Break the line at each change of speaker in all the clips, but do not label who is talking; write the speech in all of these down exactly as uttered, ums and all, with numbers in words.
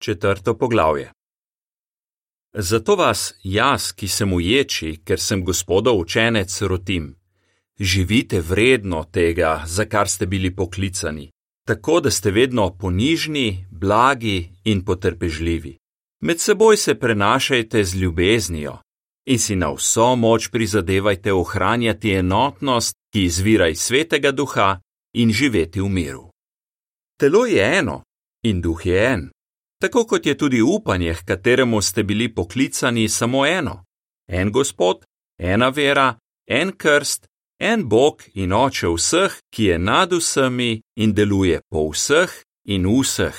Četrto poglavje. Zato vas, jaz, ki sem uječi, ker sem Gospodov učenec, rotim. Živite vredno tega, za kar ste bili poklicani, tako da ste vedno ponižni, blagi in potrpežljivi. Med seboj se prenašajte z ljubeznijo in si na vso moč prizadevajte ohranjati enotnost, ki izvira iz Svetega Duha, in živeti v miru. Telo je eno in duh je en, tako kot je tudi upanje, h kateremu ste bili poklicani, samo eno. En Gospod, ena vera, en krst, en Bog in Oče vseh, ki je nad vsemi in deluje po vseh in vseh.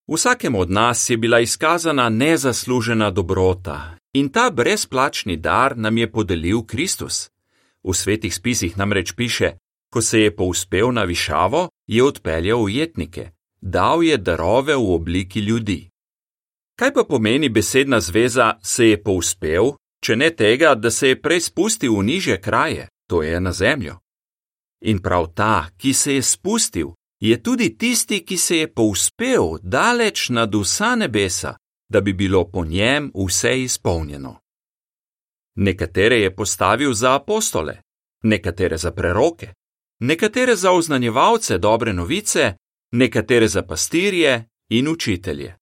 Vsakemu od nas je bila izkazana nezaslužena dobrota in ta brezplačni dar nam je podelil Kristus. V svetih spisih namreč piše, ko se je povzpel na višavo, je odpeljal ujetnike, dal je darove v obliki ljudi. Kaj pa pomeni besedna zveza se je povzpel, če ne tega, da se je prej spustil v nižje kraje, to je na zemljo? In prav ta, ki se je spustil, je tudi tisti, ki se je povzpel daleč nad vsa nebesa, da bi bilo po njem vse izpolnjeno. Nekatere je postavil za apostole, nekatere za preroke, nekatere za oznanjevalce dobre novice, nekatere za pastirje in učitelje.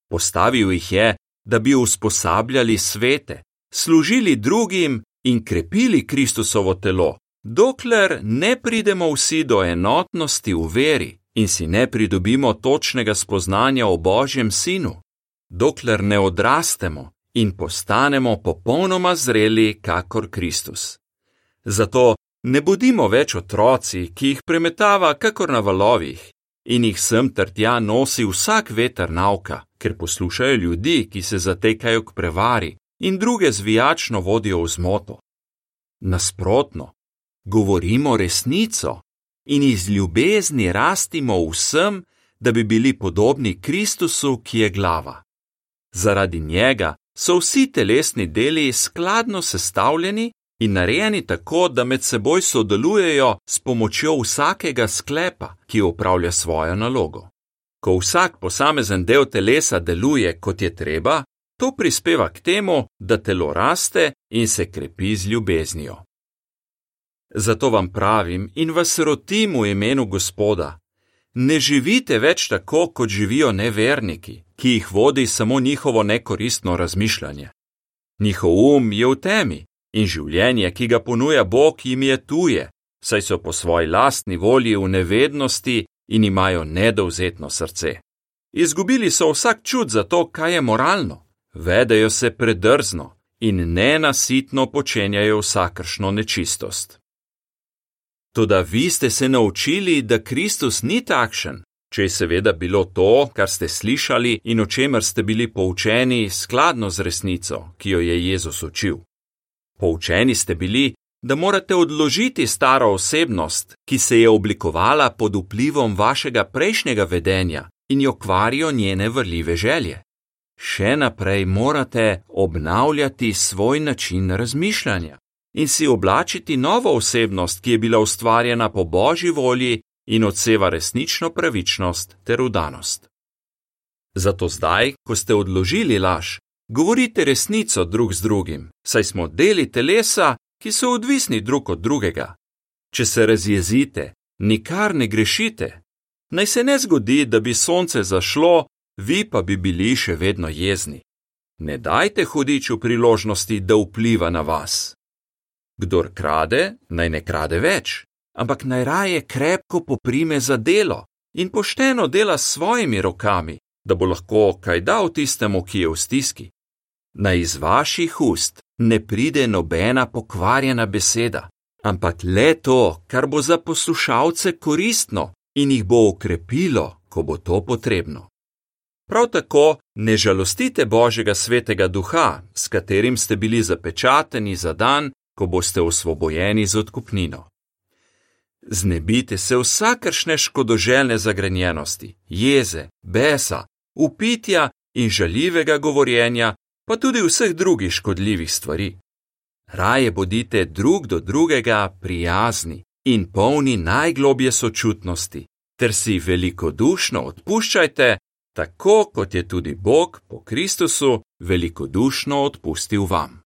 Postavil jih je, da bi usposabljali svete, služili drugim in krepili Kristusovo telo, dokler ne pridemo vsi do enotnosti v veri in si ne pridobimo točnega spoznanja o Božjem Sinu, dokler ne odrastemo in postanemo popolnoma zreli kakor Kristus. Zato ne bodimo več otroci, ki jih premetava kakor na valovih in jih sem ter tja nosi vsak veter nauka, ker poslušajo ljudi, ki se zatekajo k prevari in druge zvijačno vodijo v zmoto. Nasprotno, govorimo resnico in iz ljubezni rastimo vsem, da bi bili podobni Kristusu, ki je glava. Zaradi njega so vsi telesni deli skladno sestavljeni in narejeni tako, da med seboj sodelujejo s pomočjo vsakega sklepa, ki opravlja svojo nalogo. Ko vsak posamezen del telesa deluje, kot je treba, to prispeva k temu, da telo raste in se krepi z ljubeznijo. Zato vam pravim in vas rotim v imenu Gospoda, ne živite več tako, kot živijo neverniki, ki jih vodi samo njihovo nekoristno razmišljanje. Njihov um je v temi in življenje, ki ga ponuja Bog, jim je tuje, saj so po svoji lastni volji v nevednosti in imajo nedovzetno srce. Izgubili so vsak čut za to, kaj je moralno, vedejo se predrzno in nenasitno počenjajo vsakršno nečistost. Toda vi ste se naučili, da Kristus ni takšen, če je seveda bilo to, kar ste slišali in o čemer ste bili poučeni, skladno z resnico, ki jo je Jezus učil. Poučeni ste bili, da morate odložiti staro osebnost, ki se je oblikovala pod vplivom vašega prejšnjega vedenja in jo kvarijo njene vrljive želje. Še naprej morate obnavljati svoj način razmišljanja in si oblačiti novo osebnost, ki je bila ustvarjena po Božji volji in odseva resnično pravičnost ter vdanost. Zato zdaj, ko ste odložili laž, govorite resnico drug z drugim, saj smo deli telesa, ki so odvisni drug od drugega. Če se razjezite, nikar ne grešite. Naj se ne zgodi, da bi sonce zašlo, vi pa bi bili še vedno jezni. Ne dajte hudiču priložnosti, da vpliva na vas. Kdor krade, naj ne krade več, ampak naj raje krepko poprime za delo in pošteno dela s svojimi rokami, da bo lahko kaj dal tistemu, ki je v stiski. Naj iz vaših ust ne pride nobena pokvarjena beseda, ampak le to, kar bo za poslušalce koristno in jih bo okrepilo, ko bo to potrebno. Prav tako ne žalostite Božjega svetega duha, s katerim ste bili zapečateni za dan, ko boste osvobojeni z odkupnino. Znebite se vsakršne škodoželjne zagrenjenosti, jeze, besa, vpitja in žaljivega govorjenja, pa tudi vseh drugih škodljivih stvari. Raje bodite drug do drugega prijazni in polni najglobje sočutnosti, ter si velikodušno odpuščajte, tako kot je tudi Bog po Kristusu velikodušno odpustil vam.